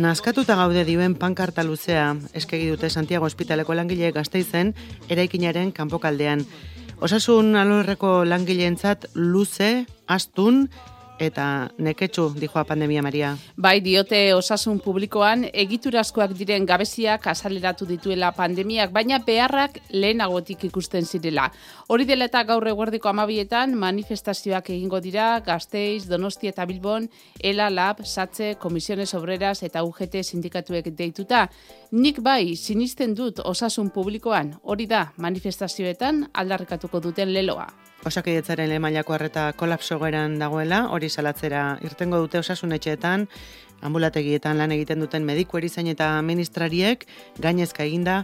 Nazkatuta gaude dioen pankarta luzea eskegi dute Santiago Ospitaleko langileek Gasteizen eraikinaren kanpokaldean. Osasun alorreko langileentzat luze, astun eta neketsu dijoa pandemia, Maria. Bai, diote osasun publikoan egiturazkoak diren gabeziak azaleratu dituela pandemiak, baina beharrak lehenagotik ikusten zirela. Hori dela eta gaur eguerdiko 12etan manifestazioak egingo dira Gasteiz, Donostia eta Bilbon, ELA, LAB, SATSE, Comisiones Obreras eta UGT sindikatuek deituta. Nik bai, sinisten dut osasun publikoan, hori da manifestazioetan aldarrikatuko duten leloa. Osakidetzaren lehen mailako arreta kolapso egoeran dagoela, hori salatzera irtengo dute osasun etxeetan, ambulategietan lan egiten duten mediku, erizain eta ministrariek gainezka eginda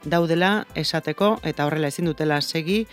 daudela esateko eta horrela ezin dutela segi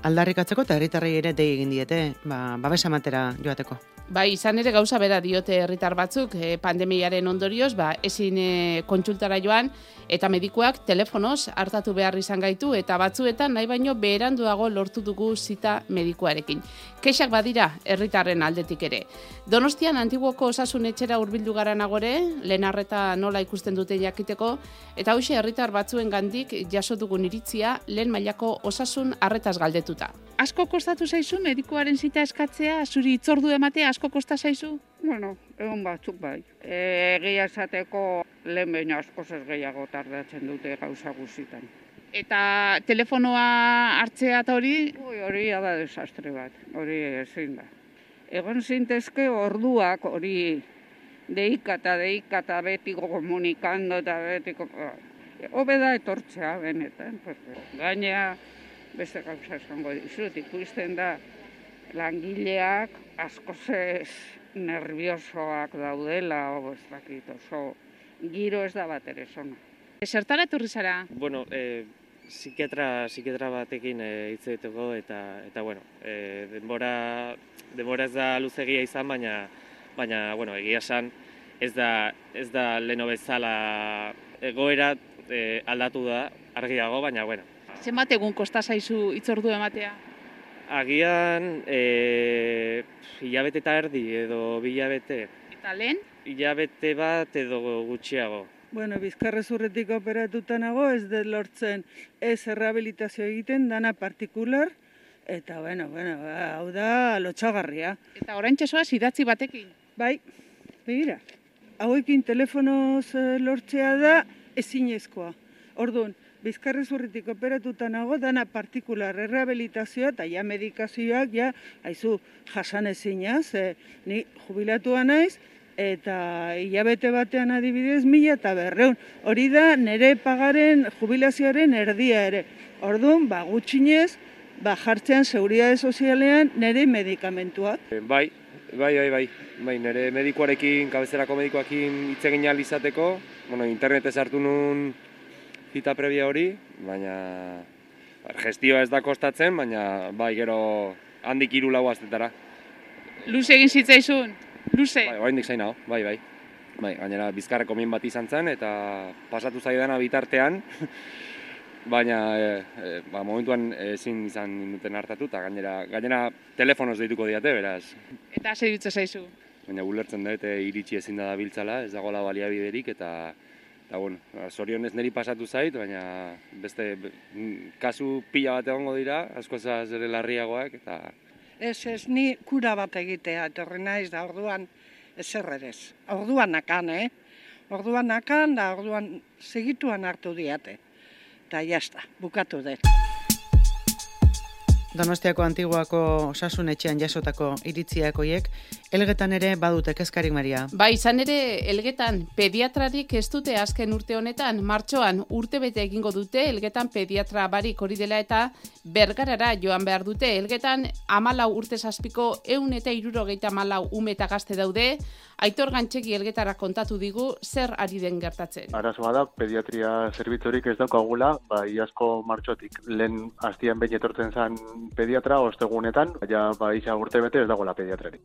aldarrikatzeko eta herritarrei ere dei egin diete, babesa ematera joateko. Bai, izan ere gauza bera diote herritar batzuk pandemiaren ondorioz, ezin kontsultara joan eta medikuak telefonoz hartatu behar izan gaitu eta batzuetan nahi baino beheranduago lortu dugu zita medikuarekin. Kexak badira herritarren aldetik ere. Donostian Antiguoko osasun etxera hurbildu gara nagore, lehen arreta nola ikusten dute jakiteko, eta hoxe herritar batzuen gandik jaso dugun iritzia lehen mailako osasun arretaz galdetuta. Asko kostatu zaizu medikuaren zita eskatzea, zuri itzordu ematea asko kosta zaizu? Bueno, egon batzuk bai. Egia esateko lehen behin askoz ez gehiago tardatzen dute gauza guztietan. Eta telefonoa hartzea eta hori? Hori da desastre bat, hori ezin da. Egon zintezke orduak hori deika eta betiko komunikando eta betiko... Hobe da etortzea benetan. Gainea beste gauza esango dizut, ikusten da langileak askoz ez nerviosoak daudela, ez dakit, oso giro ez da bat ere zona. Zertara etorri zara? Bueno, psikiatra batekin hitz egiteko eta bueno, denbora ez da luzegia izan, baina bueno, egia esan ez da leno bezala egoera aldatu da argiago, baina bueno. Zenbat egun kosta zaizu itzordu ematea? Agian hilabete eta erdi edo 2 hilabete. Eta lehen? Hilabete bat edo gutxiago. Bueno, bizkarrezurretik operatuta nago, ez dut lortzen ez errehabilitazio egiten, dana partikular, eta bueno, hau da lotxagarria. Eta oraintxe zoaz idatzi batekin? Bai, begira, hauekin telefonoz lortzea da ezinezkoa. Orduan, bizkarrezurretik operatuta nago, dana partikular errehabilitazioa eta ja medikazioak haizu jasan ezinaz, ni jubilatua naiz, eta hilabete batean adibidez 1.500. Hori da nire pagaren jubilazioaren erdia ere. Orduan, gutxinez, jartzean seguridade sozialean nire medikamentuak. Bai, nire medikuarekin, kabezerako medikuarekin hitz egin ahal izateko, internetez hartu nun zita previa hori, baina gestioa ez da kostatzen, baina gero handik 3-4 astetara. Luze egin zitzaizun? Luze? Bai, oraindik zain hau, bai. Gainera bizkarreko min bat izan zen eta pasatu zaidana bitartean, baina momentuan ezin izan duten hartatu eta gainera telefonoz deituko diate, beraz. Eta zer dutza zaizu? Baina ulertzen dut iritsi ezin da biltzala, ez dagoela baliabiderik eta bueno, zorionez niri pasatu zait, baina beste kasu pila bat egongo dira, askoz ere larriagoak eta... Ez, ni kura bat egitea, etorri naiz da orduan ezer ere. Orduan nakan, Orduan nakan, da orduan segituan hartu diate. Eta jazta, bukatu dut. Donostiako Antiguako osasun etxean jasotako iritziak hoiek, Elgetan ere badute kezkarik, Maria. Bai, izan ere Elgetan pediatrarik ez dute azken urte honetan, martxoan urtebete egingo dute Elgetan pediatra barik hori dela eta Bergarara joan behar dute. Elgetan 14 urte zazpiko 174 ume eta gazte daude. Aitor Gantxegi Elgetara kontatu digu zer ari den gertatzen. Arazoa da, pediatria zerbitzurik ez daukagula, iazko martxotik. Lehen hastian behin etortzen zen pediatra, ostegunetan, isa urtebete ez dagoela pediatrarik.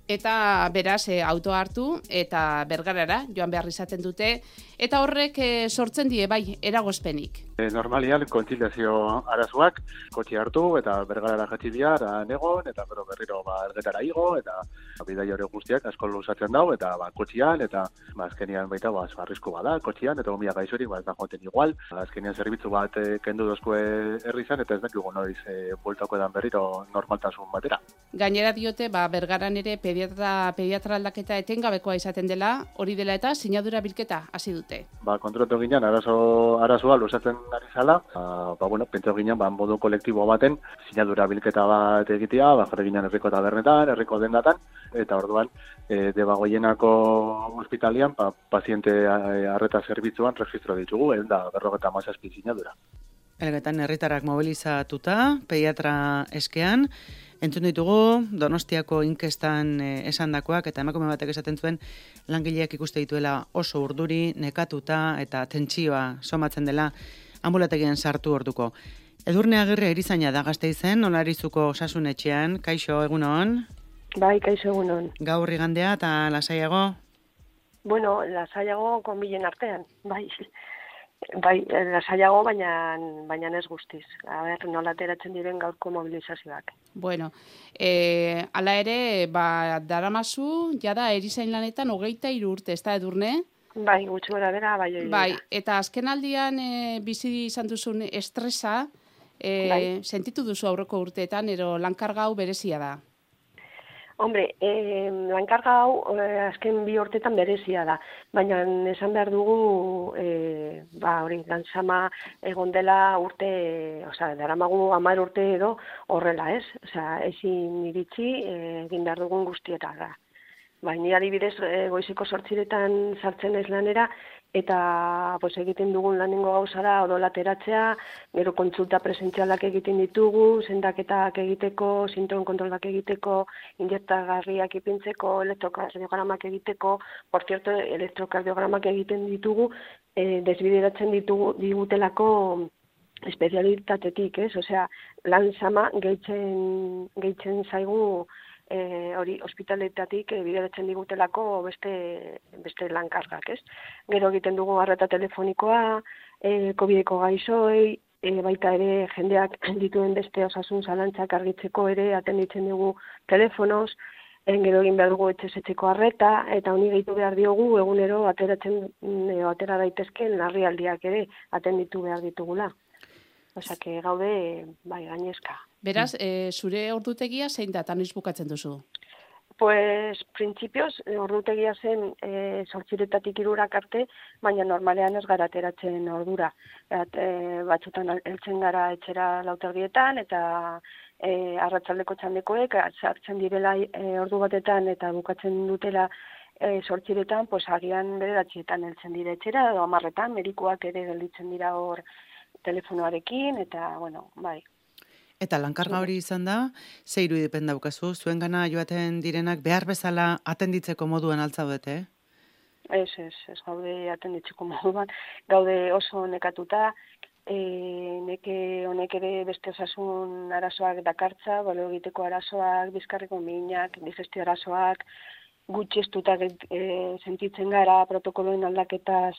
Eta beraz autoa hartu eta Bergarara joan behar izaten dute eta horrek sortzen die bai eragozpenik. Normalian, kontziliazio arazoak, kotxe hartu eta bergarara jatzi bihar, egon, eta berriro elgetara igo, eta bidai hori guztiak asko luzatzen dau, eta kotxean, eta azkenian baita arrisku bada, kotxean, eta gomia gaixorik ez da joaten igual. Azkenian zerbitzu bat kendu dozkue herrizan, eta ez dakigu noiz bueltako edan berriro normaltasun batera. Gainera diote, bergaran ere pediatra aldaketa etengabekoa izaten dela, hori dela eta sinadura bilketa hasi dute. Kontratu ginen, arazoa luzatzen ari zala, pentsa ginen, modu kolektibo baten, sinadura bilketa bat egitea, jarri ginen herriko tabernetan, herriko dendatan, eta orduan, Debagoienako ospitalian, paziente arreta zerbitzuan registro ditugu, da 57 sinadura. Elgetan herritarrak mobilizatuta, pediatra eskean, entzun ditugu, Donostiako inkestan esandakoak, eta emakume batek esaten zuen, langileak ikuste dituela oso urduri, nekatuta, eta tentsioa somatzen dela, ambulategien sartu orduko. Edurne Agirre erizaina da Gasteizen, Olarizuko osasunetxean, kaixo egunon? Bai, kaixo egunon. Gaur igandea eta lasaiago? Bueno, lasaiago konbilen artean, bai. Bai, lasaiago, baina ez guztiz. Nola ateratzen diren gaurko mobilizazioak. Bueno, hala ere, daramazu, jada erizain lanetan 23 urte, ez da Edurne? Bai, gutxi gora bera, bai. Bai, eta azken aldian bizi izan duzun estresa, sentitu duzu aurreko urteetan, ero lankarga hau berezia da? Hombre, lankarga hau azken 2 urteetan berezia da, baina esan behar dugu, lanzama egon dela urte, daramagu 10 urte edo horrela, ez? Ezin iritsi egin behar dugun guztietara. Ni adibidez goizeko 8 sartzen ez lanera, eta egiten dugun lanengo gauza da odola ateratzea, gero kontsulta presentzialak egiten ditugu, sendaketak egiteko, sintomen kontrolak egiteko, injektagarriak ipintzeko, elektrokardiogramak egiteko, por cierto, elektrokardiogramak egiten ditugu, desbideratzen digutelako espezialitatetik, ez? Lan sama gehitzen zaigu hori ospitaletatik bideratzen digutelako beste lankargak, ez? Gero egiten dugu arreta telefonikoa, COVID-eko gaixoei, baita ere jendeak dituen beste osasun zalantzak argitzeko ere atenditzen dugu telefonoz, gero egin behar dugu etxezetxeko arreta, eta honi gehitu behar diogu egunero atera daitezken larrialdiak ere atenditu behar ditugula. Gaude, gainezka. Beraz, zure ordutegia zein da, eta noiz bukatzen duzu? Printzipioz, ordutegia zen 8 irurak arte, baina normalean ez gara ateratzen ordura. Batzutan heltzen gara etxera 4:00 eta arratsaldeko txandekoek sartzen direla ordu batetan eta bukatzen dutela 8:00, agian 9:00 heltzen dira etxera, edo 10:00, medikuak ere gelditzen dira hor telefonoarekin, eta, bai. Eta lankarga hori izan da, ze irudipen daukazu, zuen gana joaten direnak behar bezala atenditzeko moduan altzaudete? Ez gaude atenditzeko moduan, gaude oso nekatuta, neke honek ere beste osasun arazoak dakartza, balio egiteko arazoak, bizkarriko minak, digestio arazoak, gutxiestuta sentitzen gara protokoloen aldaketaz,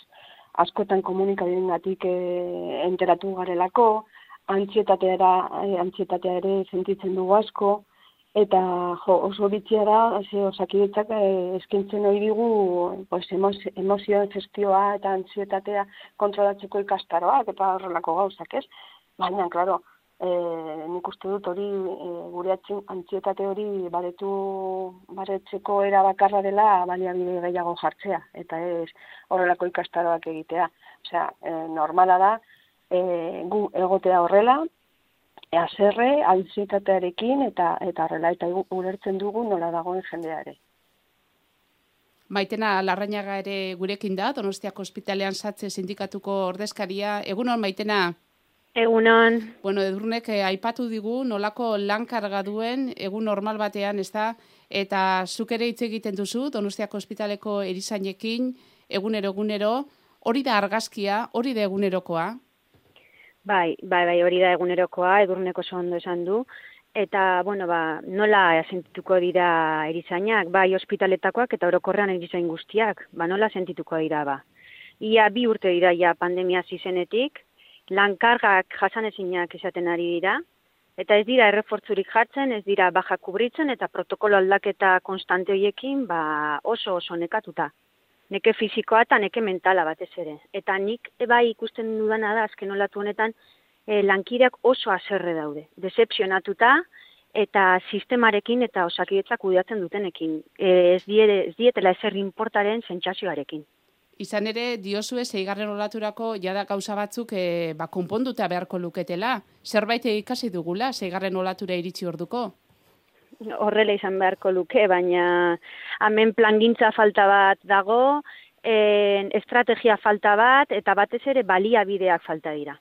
askotan komunikabidengatik enteratu garelako, antsietatea ere sentitzen dugu asko, eta oso bitxia da, Osakidetzak eskaintzen ohi digu emozioen gestioa eta antsietatea kontrolatzeko ikastaroak eta horrelako gauzak, ez? Baina, klaro, nik uste dut hori, gure antsietate hori baretzeko era bakarra dela baliabide gehiago jartzea, eta ez horrelako ikastaroak egitea. Normala da, gu egotea horrela, haserre, antsietatearekin eta horrela, eta ulertzen dugu nola dagoen jendeare. Maitena Larrañaga ere gurekin da, Donostiako ospitalean Satze sindikatuko ordezkaria. Egunon, Maitena? Egunon. Bueno, Edurnek aipatu digu nolako lankarga duen egun normal batean, ez da, eta zuk ere hitz egiten duzu Donostiako ospitaleko erizainekin egunero, hori da argazkia, hori da egunerokoa? Bai, hori da egunerokoa, Edurnek oso ondo esan du, eta, nola sentituko dira erizainak, bai ospitaletakoak eta orokorrean erizain guztiak, nola sentituko dira, Ia 2 urte dira ja pandemia zizenetik, lankargak jasanezinak izaten ari dira, eta ez dira errefortzurik jartzen, ez dira baja kubritzen, eta protokolo aldaketa konstante horiekin oso nekatuta. Neke fisikoa eta neke mentala batez ere. Eta nik bai ikusten dudana da, azken olatu honetan, lankideak oso haserre daude. Decepzionatuta eta sistemarekin eta Osakidetzak kudeatzen dutenekin. Ez dietela ezer inportaren sentsazioarekin. Izan ere, diozue, 6. olaturako jada gauza batzuk konponduta beharko luketela. Zerbait ikasi dugula, 6. olatura iritsi orduko? Horrela izan beharko luke, baina hemen plangintza falta bat dago, estrategia falta bat, eta batez ere baliabideak falta dira.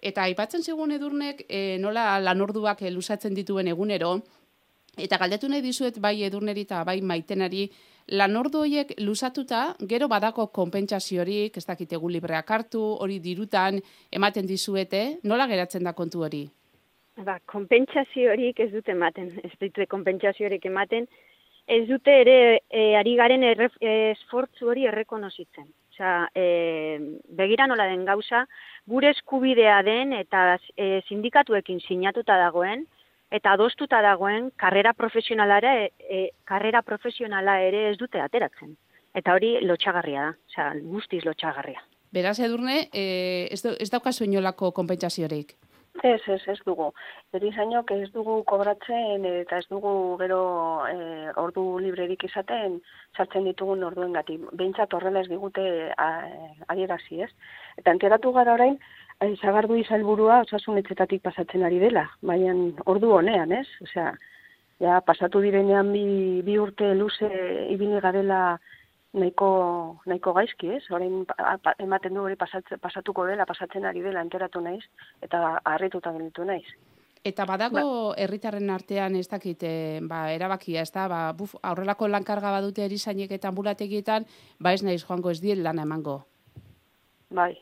Eta aipatzen zigun Edurnek nola lanorduak luzatzen dituen egunero, eta galdetu nahi dizuet bai Edurneri eta bai Maitenari, lanordu horiek luzatuta, gero badako konpentsaziorik, ez dakitegu libreak hartu, hori dirutan ematen dizuete, nola geratzen da kontu hori? Konpentsaziorik ez dute ematen, ez dute konpentsaziorik ematen, ez dute ere ari garen esfortzu hori errekonozitzen. Osea, begira nola den gauza, gure eskubidea den eta sindikatuekin sinatuta dagoen, eta adostuta dagoen karrera profesionala ere ez dute ateratzen. Eta hori lotxagarria da, osea, guztiz lotxagarria. Beraz, Edurne, ez daukazu inolako konpentsaziorik? Ez dugu. Erizainok ez dugu kobratzen eta ez dugu gero ordu librerik izaten sartzen ditugun orduengatik. Behintzat horrela ez digute adierazi, ez? Eta enteratu gara orain, Sagardui sailburua osasun etxetatik pasatzen ari dela, baina ordu honean, ez? Osea, ja pasatu direnean bi urte luze ibili garela nahiko gaizki, ez? Orain ematen du hori pasatuko dela, pasatzen ari dela, enteratu naiz, eta harrituta gelditu naiz. Eta badago herritarren artean ez dakit, erabakia, ez da, aurrelako lankarga badute erizainek eta ambulategietan, ez naiz joango ez diet lana emango. Bai,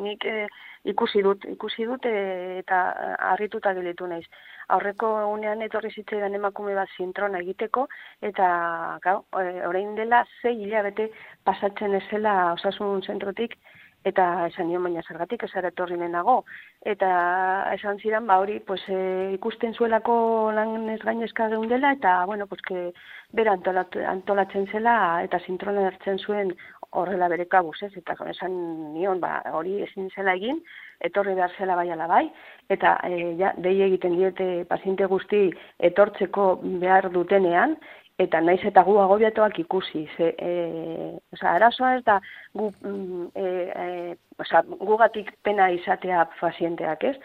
nik ikusi dut eta harrituta gelditu naiz. Aurreko egunean etorri zitzaidan emakume bat zintrona egiteko, eta orain dela 6 hilabete pasatzen ezela osasun zentrotik, eta esan nion baina zergatik ez ara etorri nenago. Eta esan zidan, hori ikusten zuelako lan ez gainezka geundela, eta bera antolatzen zela, eta zintrona hartzen zuen horrela bere kabuz, ez? Eta esan nion, hori ezin zela egin, etorri behar zela bai ala bai, eta dei egiten diete paziente guzti etortzeko behar dutenean, eta naiz eta gu agobiatuak ikusi. Arazoa ez da gugatik pena izatea pazienteak, ez?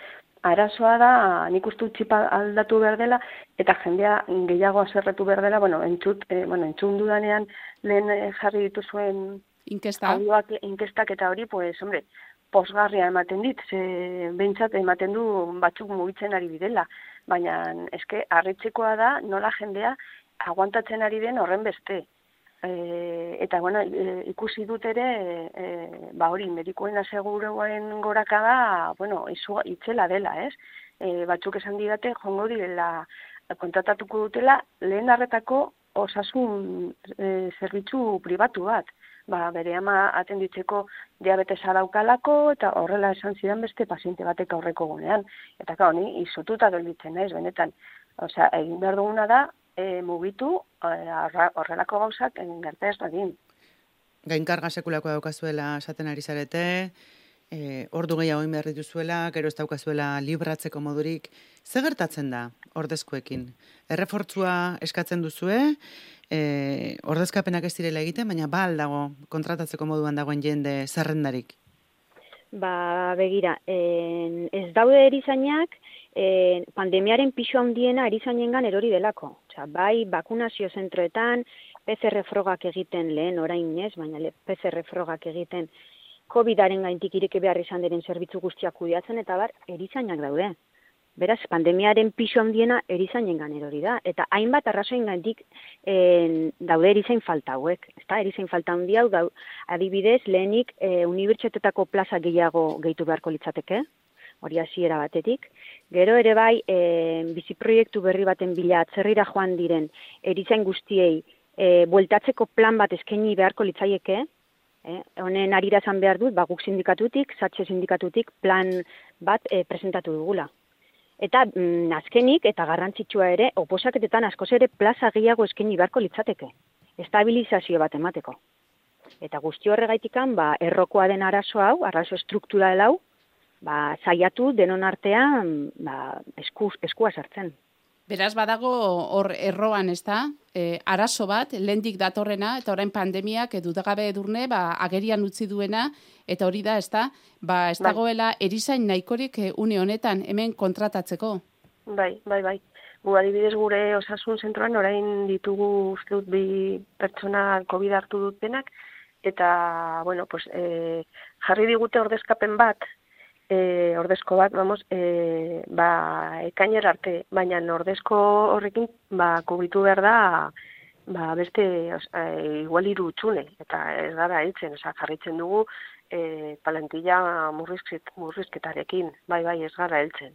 Arazoa da, nik uste txipa aldatu behar dela, eta jendea gehiago azerretu behar dela, entzun dudanean lehen jarri dituzuen inkestak eta hori, posgarria ematen dit, behintzat ematen du batzuk mugitzen ari bidela, baina eske harritzekoa da nola jendea aguantatzen ari den horren beste. Eta ikusi dut ere, hori, medikuen aseguruen gorakada, itzela dela, ez? Batzuk esan didate, jongo direla, kontratatuko dutela, lehen arretako osasun zerbitzu pribatu bat. Bere ama atenditzeko diabetesa daukalako, eta horrela esan zidan beste paziente batek aurreko gunean. Eta honi, izututa gelditzen naiz, benetan. Osea, egin behar duguna da, mugitu horrelako gauzak gerta ez dadin. Gainkarga sekulako daukazuela esaten ari zarete, ordu gehiago egin behar dituzuela, gero ez daukazuela libratzeko modurik. Ze gertatzen da ordezkoekin? Errefortzua eskatzen duzue, ordezkapenak ez direla egiten, baina aldago kontratatzeko moduan dagoen jende zerrendarik? Begira, ez daude erizainak, pandemiaren pisu handiena erizainengan erori delako. Bai, bakunazio zentroetan, PCR frogak egiten lehen orain ez, baina PCR frogak egiten COVID-aren gaintik ireki behar izan diren zerbitzu guztiak kudeatzen, eta erizainak daude. Beraz, pandemiaren pisu handiena erizainengan erori da. Eta hainbat arrazoin gaintik daude erizain falta hauek. Erizain falta handi hau, adibidez, lehenik unibertsitateko plaza gehiago gehitu beharko litzateke, hori hasiera batetik. Gero ere bai, biziproiektu berri baten bila atzerrira joan diren erizain guztiei bueltatzeko plan bat eskaini beharko litzaieke, Honen arira esan behar dut, guk sindikatutik, Satxe sindikatutik plan bat presentatu dugula. Eta azkenik eta garrantzitsua ere, oposaketetan askoz ere plaza gehiago eskaini beharko litzateke. Estabilizazio bat emateko. Eta guzti horregaitikan, errokoa den arazo hau, arazo struktural hau, saiatu denon artean eskua sartzen. Beraz, badago hor erroan, ez da, arazo bat, lehendik datorrena, eta orain pandemiak dudagabe Edurne, agerian utzi duena, eta hori da, ez da, ez dagoela erizain nahikorik une honetan, hemen kontratatzeko. Bai. Gu adibidez gure osasun zentroan orain ditugu uste dut 2 pertsona COVID hartu dutenak, eta, jarri digute ordezkapen bat, ordezko bat, ekainer arte, baina ordezko horrekin kubritu behar da beste igual 3 hutsune, eta ez gara heltzen, jarritzen dugu plantilla murrizketarekin, bai, ez gara heltzen.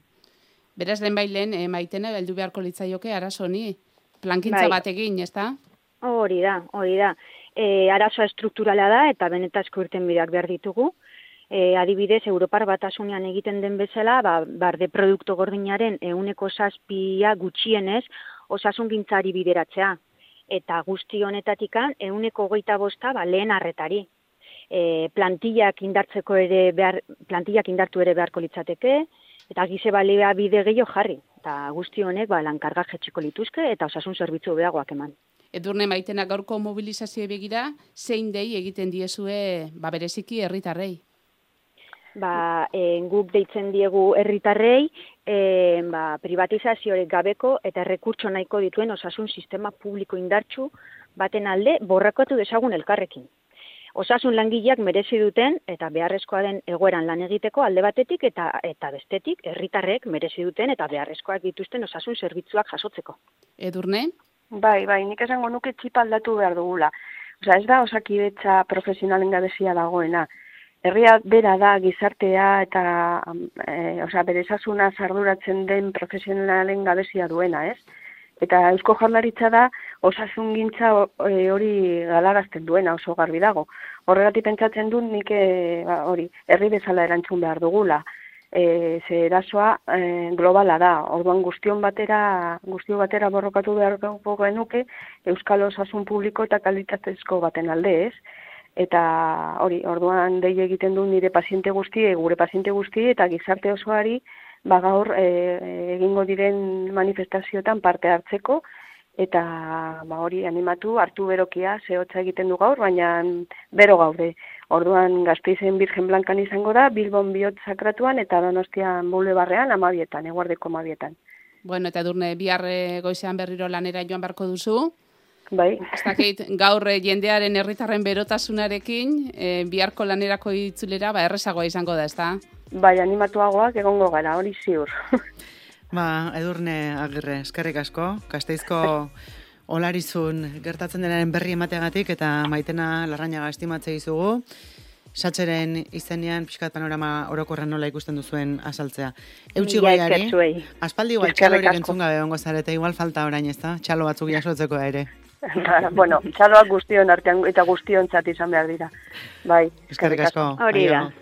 Beraz, lehen Maitena, heldu beharko litzaioke arazo honi, plankintza bat egin, ez da? Hori da. Arazoa estrukturala da, eta benetazko irtenbideak behar ditugu. Adibidez, Europar Batasunean egiten den bezala, barde produktu gordinaren 7% gutxienez osasungintzari bideratzea. Eta guzti honetatikan 25% lehen arretari. Plantillak indartu ere beharko litzateke, eta gize balea bide gehiago jarri. Eta guzti honek lankarga jetxiko lituzke eta osasun zerbitzu beagoak eman. Edurne, Maitena, gaurko mobilizazioa begira, zein dei egiten diezue bereziki herritarrei? Guk deitzen diegu herritarrei privatizaziorik gabeko eta errekurtso nahiko dituen osasun sistema publiko indartsu baten alde borrakatu dezagun elkarrekin. Osasun langileak merezi duten eta beharrezkoa den egoeran lan egiteko alde batetik eta bestetik herritarrek merezi duten eta beharrezkoak dituzten osasun zerbitzuak jasotzeko. Edurne? Bai, nik esango nuke txipa aldatu behar dugula. Ez da osakidetza profesionalen gabezia dagoena. Herria bera da gizartea eta bere osasuna arduratzen den profesionalen gabezia duena, ez? Eta Eusko Jaurlaritza da osasungintza hori galarazten duena, oso garbi dago. Horregatik pentsatzen dut nik herri bezala erantzun behar dugula. Ze erasoa globala da. Orduan guztio batera borrokatu behar genuke Euskal Osasun Publiko eta kalitatezko baten alde, ez? Eta orduan dei egiten du nire paziente guzti, gure paziente guzti eta gizarte osoari gaur egingo diren manifestazioetan parte hartzeko eta animatu, hartu berokia, zehotza egiten du gaur, baina bero gaude. Orduan Gasteizen Birgen Blankan izango da, Bilbon Bihotz Sakratuan eta Donostian Bulebarrean 12:00, eguerdeko 12:00. Bueno, eta Edurne, bihar goizean berriro lanera joan beharko duzu. Bai. Ez dakit, gaur jendearen herritarren berotasunarekin, biharko lanerako itzulera, errezagoa izango da, ez da? Bai, animatuagoak egongo gara, hori ziur. Edurne Agirre, eskerrik asko, Gasteizko olarizun gertatzen denaren berri emateagatik eta Maitena Larrañaga estimatze dizugu. Satxeren izenean pixkat panorama orokorren nola ikusten duzuen azaltzea. Eutxi goiari, aspaldi igual txalo hori entzun gabe ongo zarete, igual falta orain, ez da? Txalo batzuk jasotzeko ere. Txaloak guztion artean eta guztiontzat izan behar dira. Bai, eskerrik asko. Hori da.